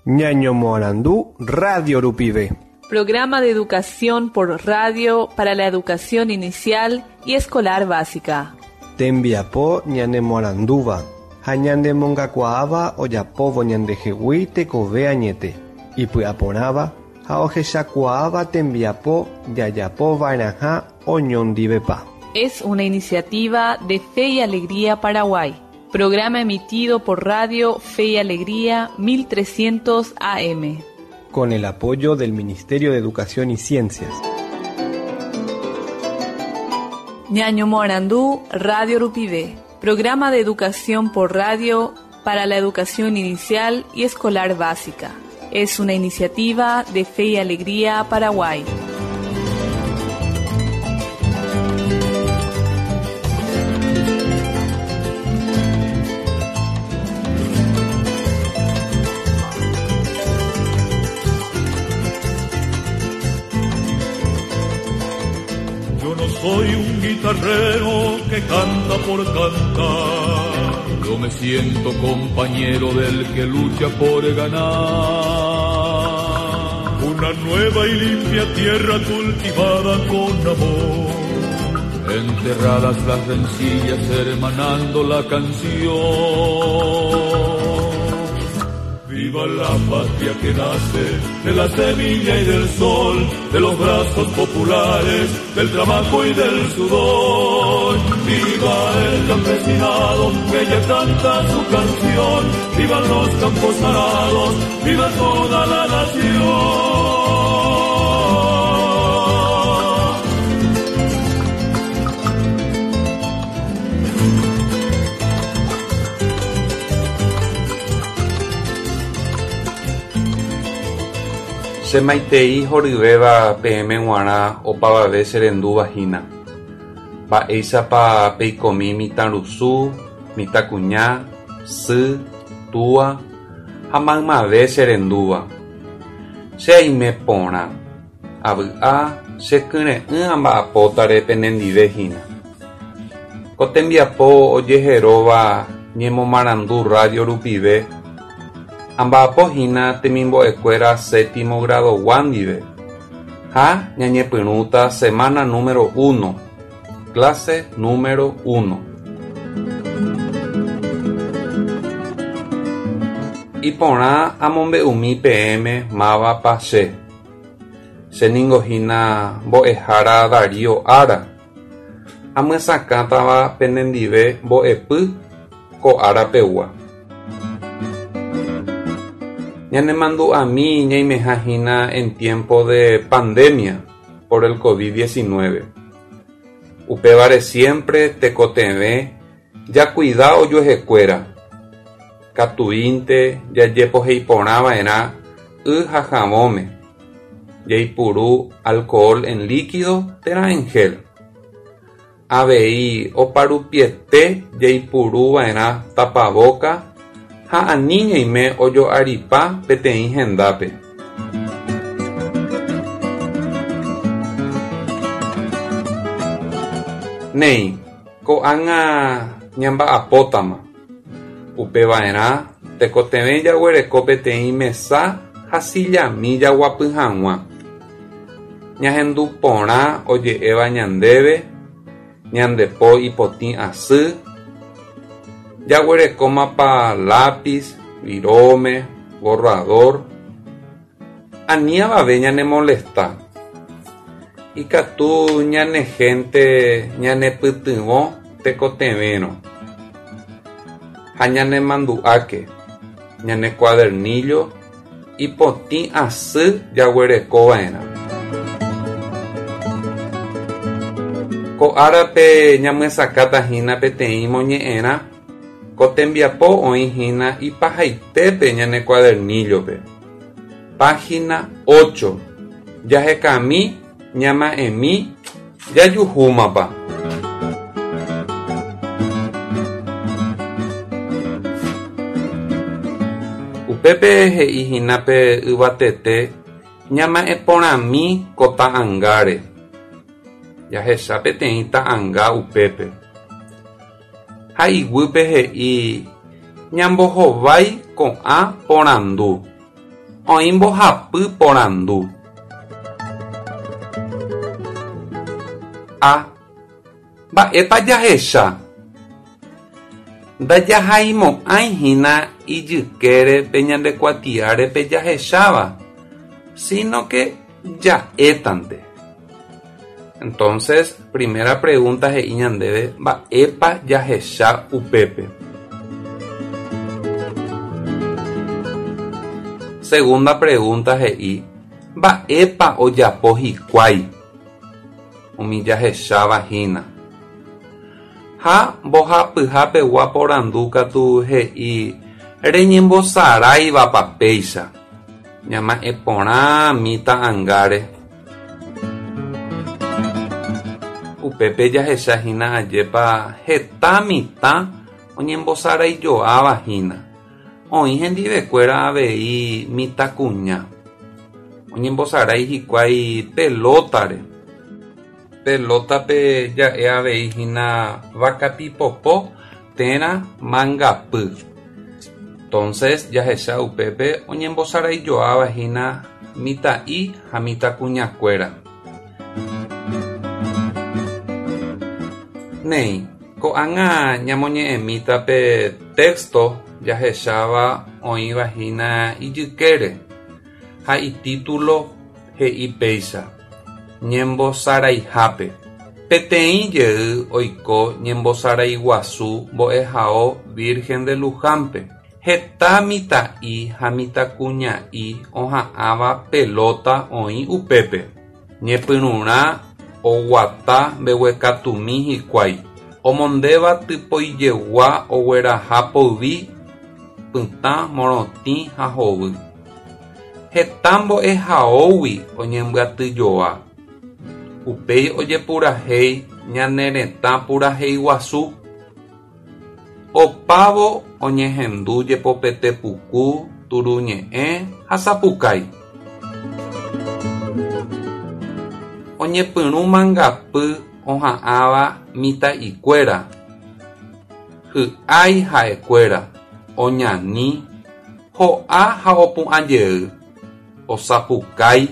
Ñañomoarandu radio rupive. Programa de educación por radio para la educación inicial y escolar básica. Tembiapo ñanemoarandúva ha ñanemongakuaáva ojapóvo ñandehegui tekove añete, ipy'aporãva ha ohechakuaáva tembiapo jajapova'erãha oñondivepa. Es una iniciativa de Fe y Alegría Paraguay. Programa emitido por Radio Fe y Alegría 1300 AM. Con el apoyo del Ministerio de Educación y Ciencias. Ñañomoarandú Radio Rupivé. Programa de educación por radio para la educación inicial y escolar básica. Es una iniciativa de Fe y Alegría Paraguay. Yo no soy un guitarrero que canta por cantar. Yo me siento compañero del que lucha por ganar. Una nueva y limpia tierra cultivada con amor. Enterradas las rencillas, hermanando la canción. Viva la patria que nace de la semilla y del sol, de los brazos populares, del trabajo y del sudor. Viva el campesinado que ya canta su canción, vivan los campos arados, viva toda la nación. Che maitei horyvéva peẽme g̃uarã opavave che rendúva hína. Mba'éichapa peikomi mitãrusu, mitãkuña, sy, túa ha maymave che rendúva. Che aime porã, avy'a, che kyre'ỹ amba'apótare penendive hína. Ko tembiapo ojeheróva ñemomarandu radio rupive, amba'apohína temimbo'ekuéra séptimo grado-gua ndive ha ñañepyrũta semana número uno, clase número uno. Iporã amombe'umi peẽme mávapa che. Che ningo hína mbo'ehára Darío Ára. Amyesakãtava penendive mbo'epy ko ára pegua. Ñanemandu'ami ñaimeha hína en tiempo de pandemia por el COVID-19. Upévare siempre tekotevẽ jakuida ojuehekuéra. Katuínte jajepoheiporãva'erã y ha havõme, jaipuru alcohol en líquido térã en gel. Avei oparupiete jaipuruva'erã tapavóka ha ani ñaime ojo'aripa peteĩ hendápe. Néi, ko'ág̃a ñamba'apótama. Upeva'erã tekotevẽ jaguereko peteĩ mesa ha sillami jaguapy hag̃ua. Ñahendu porã oje'éva ñandéve, ñande po ipotĩ asy, jaguerekómapa lápiz, viróme, borrador. Ani avave ñanemolesta. Ikatu ñane hénte ñanepytyvõ tekotevẽrõ. Ha ñanemandu'áke, ñane cuadernillo ipotĩ asy jaguerekova'erã. Ko árape ñamyesakãtahína peteĩ moñe'ẽrã, ko tembiapo oĩhína ipahaitépe ñane cuadernillo-pe. Página ocho. Jahekami ñama'ẽmi jajuhúmapa. Upépe he'ihína pe yvatete ñama'ẽ porãmi ko ta'ãngáre. Jahecha peteĩ ta'ãnga upépe. Ha iguýpe he'i. Ñambohovái ko'ã porandu. Oĩ mbohapy porandu. A. Mba'épa jahecha? Ndajahaimo'ãi hína ijykére pe ñande kuatiáre pe jahecháva, sino que ja'étante. Entonces, primera pregunta he'i ñandéve mba'épa jahecha upépe. Segunda pregunta he'i mba'épa ojapo hikuái umi jahecháva hína. Ha mbohapyhapegua porandu katu he'i reñembosaráivapa péicha. Ñama'ẽ porãmi ta'angáre. Upépe jahecha hína ajépa heta mitã oñembosaraijoáva hína. Oĩ hendivekuéra avei mitãkuña. Oñembosarái hikuái pelótare. Pelótape ja'e avei hína vakapipopo térã mangapy. Entonces jahecha upépe oñembosaraijoáva hína mitã'i ha mitãkuñakuéra. Néi, ko'ág̃a ñamoñe'ẽmíta pe texto jahecháva oĩva hína ijykére ha itítulo he'i péicha Ñembosaraihápe. Peteĩ jey oiko ñembosarái guasu mbo'ehao Virgen de Luján-pe. Heta mitã'i ha mitãkuña'i oha'ãva pelóta oĩ upépe. Ñepyrũrã oguata mbeguekatumi hikuái, omondéva typoijegua ogueraha poyvi, pytã, morotĩ ha hovy. Heta mbo'ehaógui oñembyatyjoa. Upéi ojepurahéi ñane retã purahéi guasu. Opávo oñehendu jepopete puku, turuñe'ẽ ha sapukái. Oñepyrũ mangapy oha'ãva mitã'ikuéra, hy'ái ha'ekuéra, oñani, ho'a ha opu'ã jey, osapukái,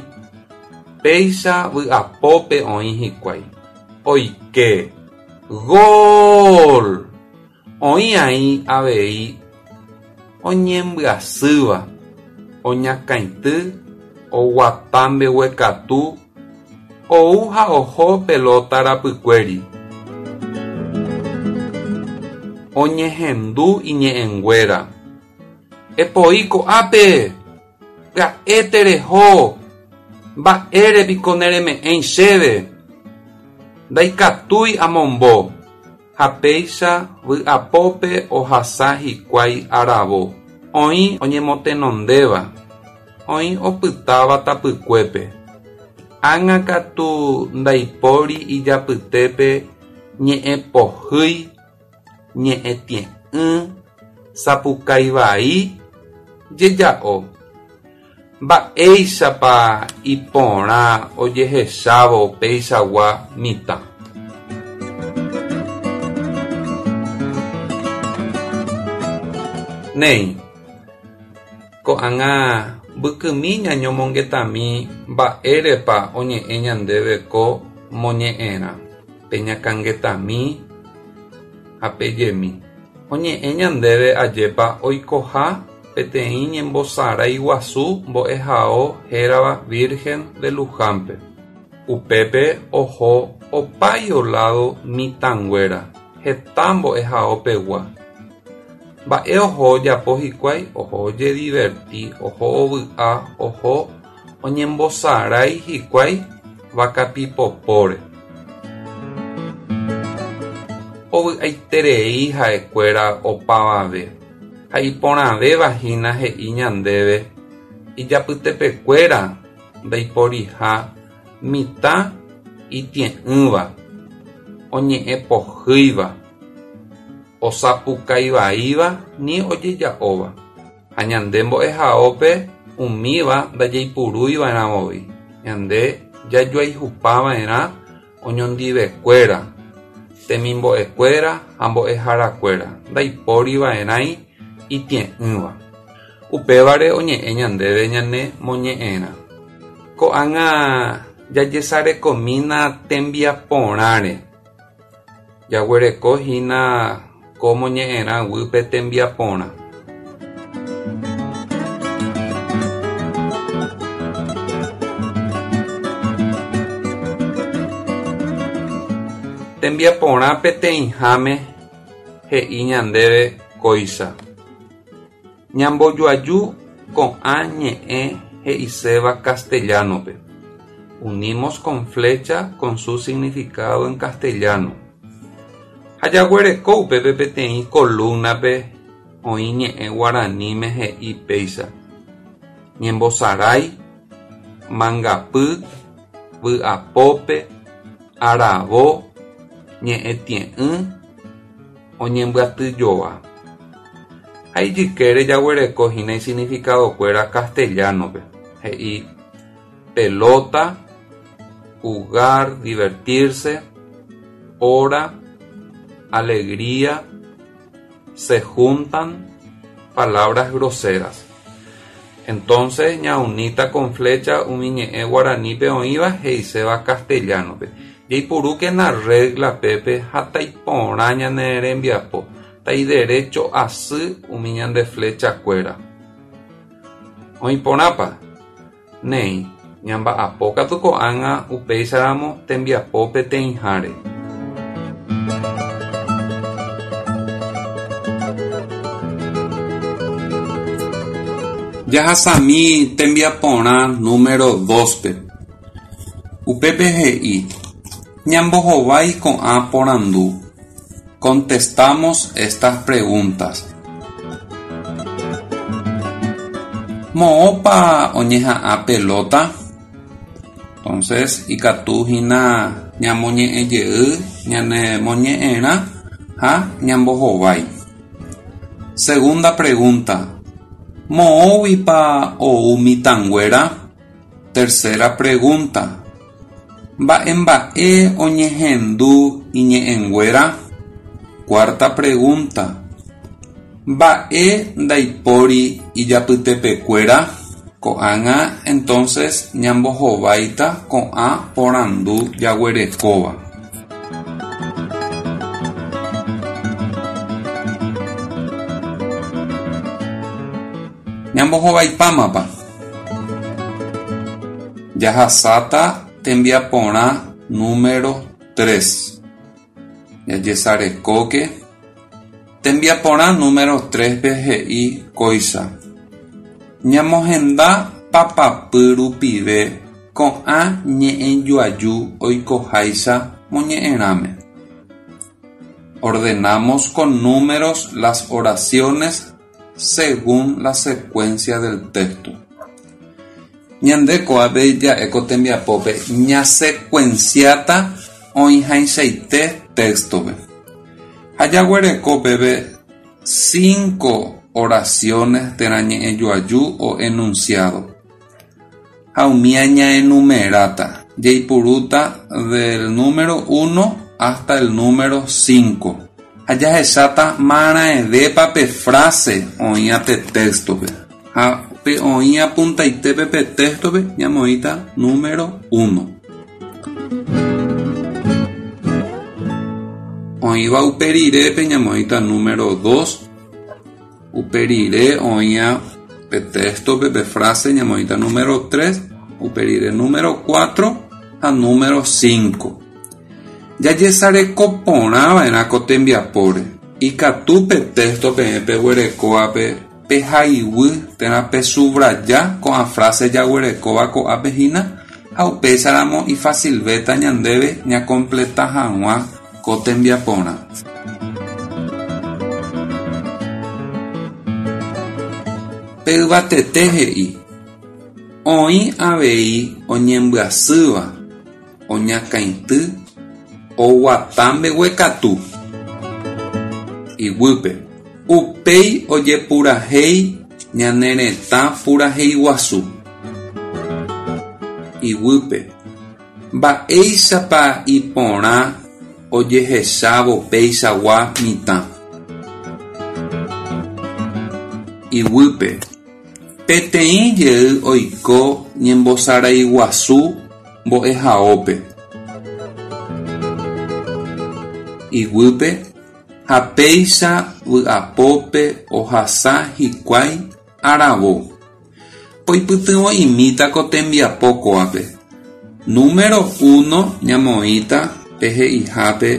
péicha vy'apópe oĩ hikuái. Oike. Gol! Oĩ aĩ avei oñembyasýva, oñakãity, oguata mbeguekatu, ou ha oho pelóta rapykuéri. Oñehendu iñe'ẽnguéra. Epoi ko'ápe! Pya'e tereho! Mba'ére piko nereme'ẽi chéve? Ndaikatúi amombo. Ha péicha vy'apópe ohasa hikuái aravo. Oĩ oñemotenondéva, oĩ opytáva tapykuépe. Ág̃a katu ndaipóri ijapytépe ñe'ẽ pohýi, ñe'ẽ tie'ỹ, sapukái vai, jeja'o. Mba'éichapa iporã ojehechávo peichagua mitã. Néi, ko'ág̃a mbykymi ñañomongetami mba'érepa oñe'ẽ ñandéve ko moñe'ẽrã, peñakãngetami ha pejemi. Oñe'ẽ ñandéve ajépa oikoha peteĩ ñembosarái guasu mbo'ehao hérava Virgen de Luján-pe. Upépe oho opáio lado mitãnguéra, heta mbo'ehao pegua. Mba'e oho ojapo hikuái? Oho ojediverti, oho ovy'a, oho oñembosarái hikuái vakapipopóre. Ovy'aiterei ha'ekuéra opavave, ha iporãvéva hína he'i ñandéve ijapytepekuéra ndaiporiha mitã itie'ỹva, oñe'ẽ pohýiva, osapukaivaíva ni ojeja'óva. Ha ñande mbo'ehaópe umíva ndajaipurúiva'erã voi, ñande jajoayhupava'erã oñondivekuéra, temimbo'ekuéra ha mbo'eharakuéra, ndaipóriva'erãi. Itie'ỹva. Upévare oñe'ẽ ñandéve ñane moñe'ẽrã. Ko'ág̃a jajesarekomína tembiaporãre. Jaguereko hína ko moñe'ẽrã guýpe tembiaporã. Tembiaporã peteĩháme he'i ñandéve kóicha. Ñambojoaju ko'ã ñe'ẽ he'iséva castellano-pe. Unimos con flecha con su significado en castellano. Ha jaguereko upépe peteĩ columna-pe oĩ ñe'ẽ guaraníme he'i péicha, Ñembosarái, mangapy, vy'apópe, aravo, ñe'ẽ tie'ỹ, oñembyatyjoa. Ha ijykére jaguereko hína isignificadokuéra castellano-pe, he'i pelota, jugar, divertirse, hora, alegría, se juntan, palabras groseras. Entonces ñaunita con flecha umi ñe'ẽ guaranípe oĩva he'iséva castellano-pe. Jaipurúkena regla pépe ha taiporã ñane rembiapo, taiderecho asy umi ñande flechakuéra. Oĩporãpa? Néi, ñamba'apo katu ko'ág̃a upéicharamo tembiapo peteĩháre. Jahasami tembiaporã número dos-pe. Upépe he'i, Ñambohovái ko'ã porandu. Contestamos estas preguntas. Moõpa oñeha'ã pelota? Entonces, ikatu hína ñamoñe'ẽ jey ñane moñe'ẽrã ha ñambohovái. Segunda pregunta, Moõguipa ou mitãnguéra? Tercera pregunta, Mba'emba'e oñehendu iñe'ẽnguéra? Cuarta pregunta, Mba'e ndaipóri ijapytepekuéra? Ko'ág̃a entonces ñambohováita ko'ã porandu jaguerekóva. Ñambohovaipámapa? Jahasáta tembiaporã número tres. Jajesarekóke. Tembiaporã número tres-pe he'i kóicha, Ñamohenda papapy rupive ko'ã ñe'ẽjoaju oikoháicha moñe'ẽrãme. Ordenamos con números las oraciones según la secuencia del texto. Ñande ko'ápe ja'e ko tembiapópe ñasecuenciáta oĩhaichaite texto-pe. Ha jaguereko peve cinco oraciones térã ñe'ẽjoaju o enunciado. Ha umía ñaenumeráta, jaipurúta del número uno hasta el número cinco. Ha jahecháta maraẽvépa pe frase oĩva pe téxtope. Ha pe oĩva puntaitépe pe téxtope ñamoĩta número uno. Oĩva upe rirépe ñamoĩta número dos. Upe rire oĩva pe téxtope pe frase ñamoĩta número tres, upe rire número cuatro ha número cinco. Jajesareko porã va'erã ko tembiapóre. Ikatu pe téxto peẽ peguerekóvape pehaiguy térã pesubraja ko'ã frase jaguerekóva ko'ápe hína ha upéicharamo ifasilvéta ñandéve ñakompleta hag̃ua ko tembiaporã. Pe yvatete he'i, Oĩ avei oñembyasýva, oñakãity, oguata mbeguekatu iguýpe. Upéi ojepurahéi ñane retã purahéi guasu. Iguýpe. Mba'éichapa iporã ojehechávo peichagua mitã. Iguýpe. Peteĩ jey oiko ñembosaraiguasu mbo'ehaópe. Iguýpe ha péicha vy'apópe ohasa hikuái aravo. Poipytyvõ'imíta ko tembiapo kóvape. Número uno ñamoĩta pe he'ihápe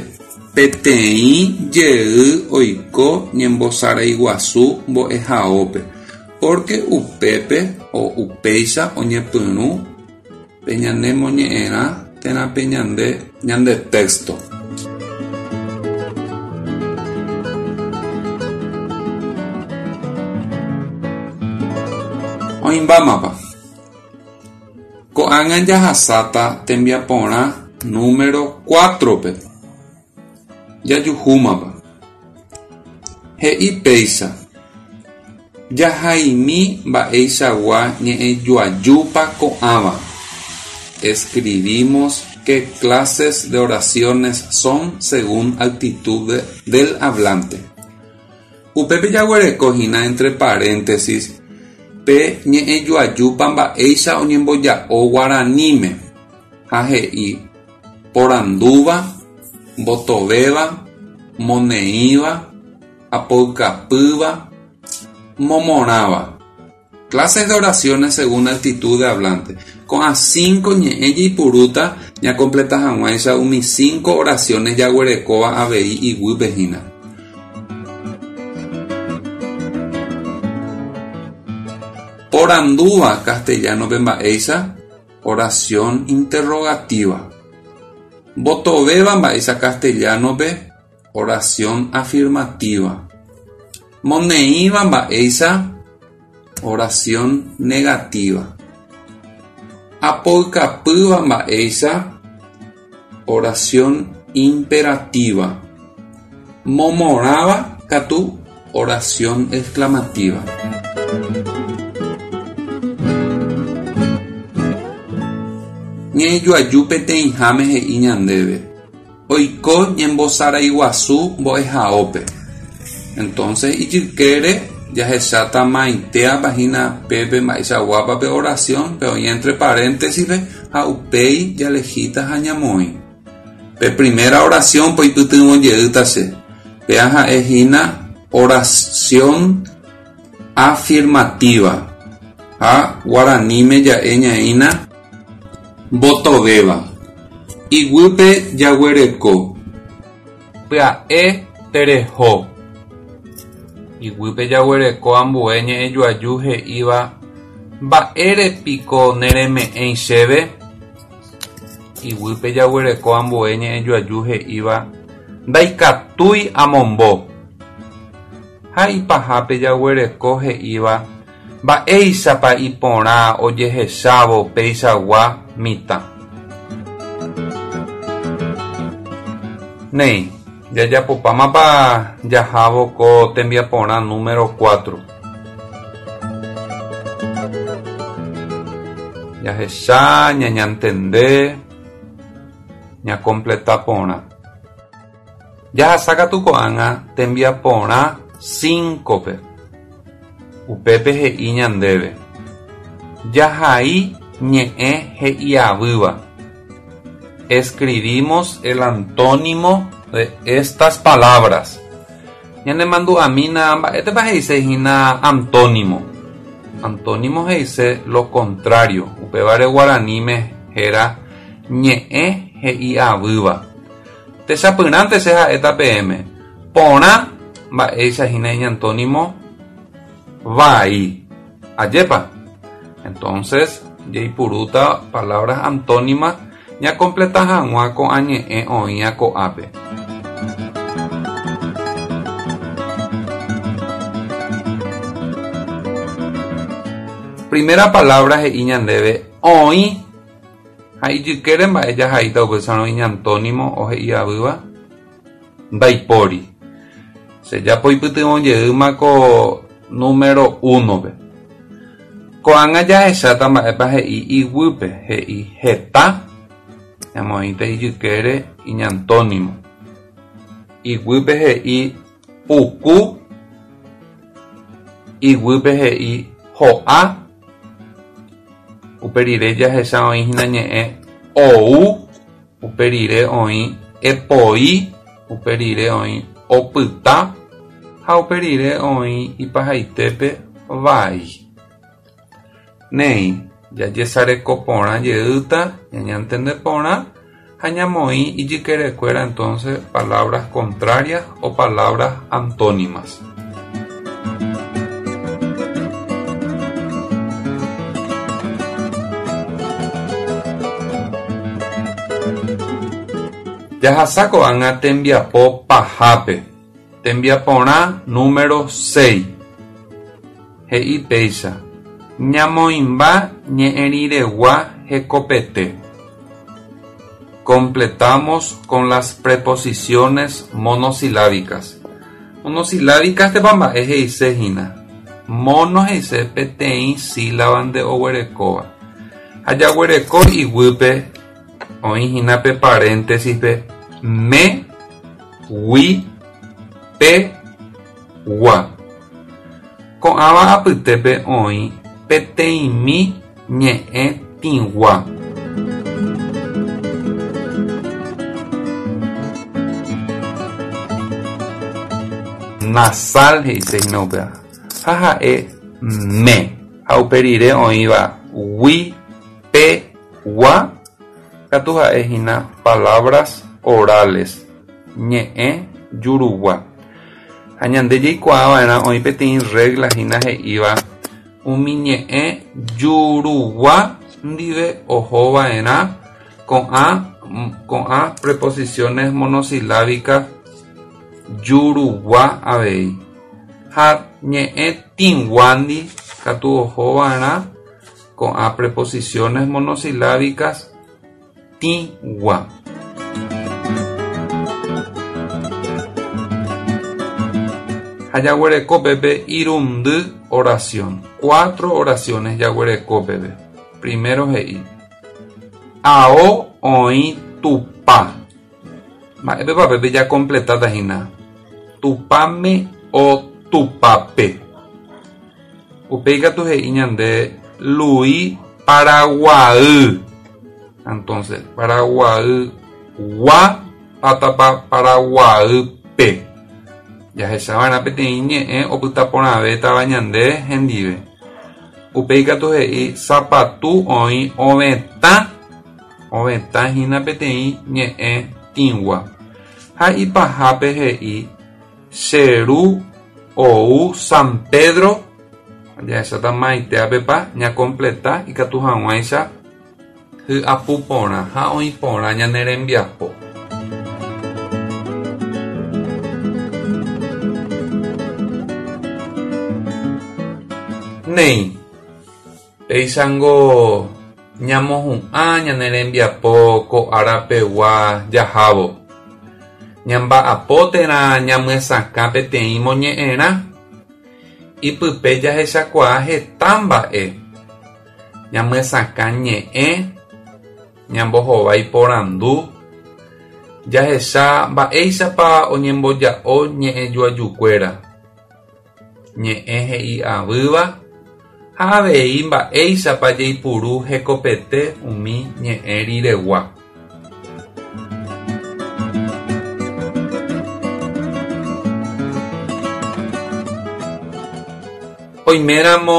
peteĩ jey oiko ñembosaraiguasu mbo'ehaópe pórke upépe o upéicha oñepyrũ pe ñane moñe'ẽrã térã pe ñande ñande texto. Oĩmbámapa. Ko'ág̃a jahasáta tembiaporã número cuatro-pe. Jajuhúmapa. He'i péicha, Jahaimi mba'eichagua ñe'ẽjoajúpa ko'ãva. Escribimos qué clases de oraciones son según actitud del hablante. Upépe jaguereko hína entre paréntesis pe ñe'ẽjoajúpa mba'éicha oñemboja'o guaraníme ha he'i porandúva, mbotovéva, moneĩva, apoykapýva, momorãva. Clases de oraciones según actitud de hablante. Ko'ã cinco ñe'ẽ jaipurúta ñakompleta hag̃uáicha umi cinco oraciones jaguerekóva avei iguýpe hína. Porandúva castellano-pe mba'éicha oración interrogativa. Mbotovéva mba'éicha castellano-pe oración afirmativa. Moneĩva mba'éicha oración negativa. Apoykapýva mba'éicha oración imperativa. Momorãva katu oración exclamativa. Ñe'ẽjoaju peteĩháme he'i ñandéve, Oiko ñembosaraiguasu mbo'ehaópe. Entonces ijykére jahecháta maitéapa hína pépe mba'eichaguápa pe oración, pe oĩ entre paréntesis-pe ha upéi jalehíta ha ñamoĩ. Pe primera oración poipytyvõ jeýta che. Péa ha'e hína oración afirmativa ha guaraníme ja'e ñaína mbotovéva. Iguýpe jaguereko. Pya'e tereho. Iguýpe jaguereko ambue ñe'ẽjoaju he'íva Mba'ére piko nereme'ẽi chéve? Iguýpe jaguereko ambue ñe'ẽjoaju he'íva Ndaikatúi amombo. Ha ipahápe jaguereko he'íva Mba'éichapa iporã ojehechávo peichagua mitã. Néi, jajapopámapa jahávo ko tembiaporã número cuatro. Jahecha, ñañantende, ñakompleta porã. Jahasa katu ko'ág̃a tembiaporã cinco-pe. Upépe he'i ñandéve, Jahai ñe'ẽ he'iavýva. Escribimos el antónimo de estas palabras. Ñanemandu'amína mba'étepa he'ise hína antónimo. Antónimo he'ise lo contrario, upévare guaraníme héra ñe'ẽ he'iavýva. Techapyrãnte che ha'éta peẽme, porã mba'éicha hína iñantónimo vai. Ajépa? Entonces, jaipurúta palabras antónimas ñakompleta hag̃ua ko'ã ñe'ẽ oĩva ko'ápe. Primera palabra he'i ñandéve oĩ ha ijykére mba'e jahaíta upéicharõ iñantónimo ohe'iavýva ndaipóri. Che japoipytyvõ jeýma ko número uno-pe. Ko'ág̃a jahecháta mba'épa he'i iguýpe, he'i heta, ñamoĩta ijykére iñantónimo. Iguýpe he'i puku. Iguýpe he'i ho'a, upe rire jahecha oĩ hína ñe'ẽ ou, upe rire oĩ epoi, upe rire oĩ opyta ha upe rire oĩ ipahaitépe vai. Néi, jajesareko porã jeýta, ñañantende porã ha ñamoĩ ijykerekuéra entonces palabras contrarias o palabras antónimas. Jahasa ko'ág̃a tembiapo pahápe. Tembiaporã número seis. He'i péicha, Ñamoĩmba ñe'ẽriregua hekopete. Completamos con las preposiciones monosilábicas. Monosilábicas tepa mba'e he'ise hína. Mono he'ise peteĩ sílaba nde oguerekóva. Ha jaguereko iguýpe oĩ hína pe paréntesis-pe me, gui, pe, gua. Ko'ãva apytépe oĩ peteĩmi ñe'ẽ tĩgua. Nasal he'ise hína upéva ha ha'e me ha upe rire oĩva gui, pe, gua katu ha'e hína palabras orales, ñe'ẽ jurugua. Ha ñande jaikuaa va'erã oĩ peteĩ regla hína he'íva umi ñe'ẽ jurugua ndive oho va'erã ko'ã ko'ã preposiciones monosilábicas jurugua avei. Ha ñe'ẽ tĩguándi katu oho va'erã ko'ã preposiciones monosilábicas tĩgua. Ha jaguereko pépe irundy oración. Cuatro oraciones jaguereko pépe. Primero he'i, Ao oĩ Tupã. Mba'épepa pépe jakompletáta hína? Tupãme o Tupãpe. Upéi katu he'i ñande Lui Paraguay. Entonces, Paraguay gua pátapa Paraguaýpe. Jahecha va'erã peteĩ ñe'ẽ opyta porãvétava ñande hendive. Upéi katu he'i sapatu oĩ ovetã, ovetã hína peteĩ ñe'ẽ tĩgua. Ha ipahápe he'i Che ru ou San Pedro, jahecháta maitéapepa ñakompleta ikatu hag̃uáicha hy'apu porã ha oĩ porã ñane rembiapo. Néi, péichango Ñamohu'ã ñane rembiapo ko ára pegua jahávo. Ñamba'apo térã ñamyesakã peteĩ moñe'ẽrã. Ipype jahechakuaa heta mba'e. Ñamyesakã ñe'ẽ, ñambohovái porandu, jahecha mba'éichapa oñemboja'o ñe'ẽjoajukuéra. Ñe'ẽ he'i avýva ha avei mba'éichapa jaipuru hekopete umi ñe'ẽ riregua. Oiméramo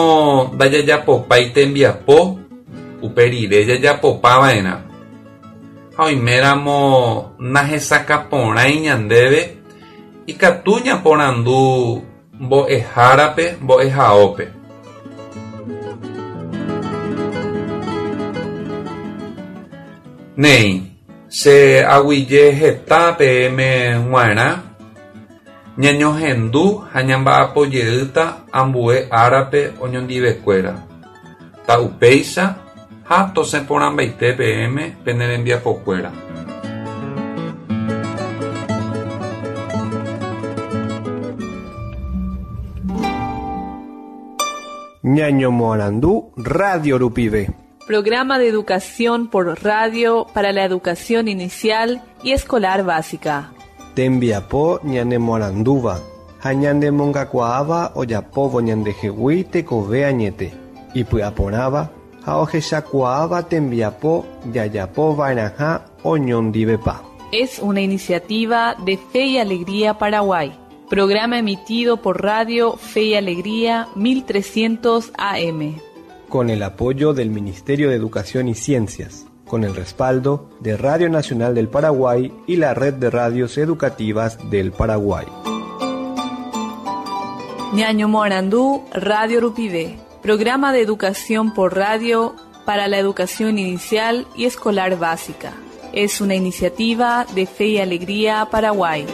ndajajapopái tembiapo, upe rire jajapopa va'erã. Ha oiméramo nahesakãporãi ñandéve, Ikatu ñaporandu mbo'ehárape mbo'ehaópe. Néi, che aguije heta peẽme g̃uarã, ñañohendu ha ñamba'apo jeýta ambue árape oñondivekuéra. Ta upéicha ha tosẽ porãmbaite peẽme pene rembiapokuéra. Ñañomoarandu radio rupive. Programa de educación por radio para la educación inicial y escolar básica. Tembiapo ñanemoarandúva. ha ñanemongakuaáva ojapóvo ñandehegui tekove añete, ipy'aporãva ha ohechakuaáva tembiapo jajapova'erãha oñondivepa. Es una iniciativa de Fe y Alegría Paraguay. Programa emitido por Radio Fe y Alegría 1300 AM. Con el apoyo del Ministerio de Educación y Ciencias, con el respaldo de Radio Nacional del Paraguay y la Red de Radios Educativas del Paraguay. Ñaño Morandú, Radio Rupivé. Programa de educación por radio para la educación inicial y escolar básica. Es una iniciativa de Fe y Alegría Paraguay.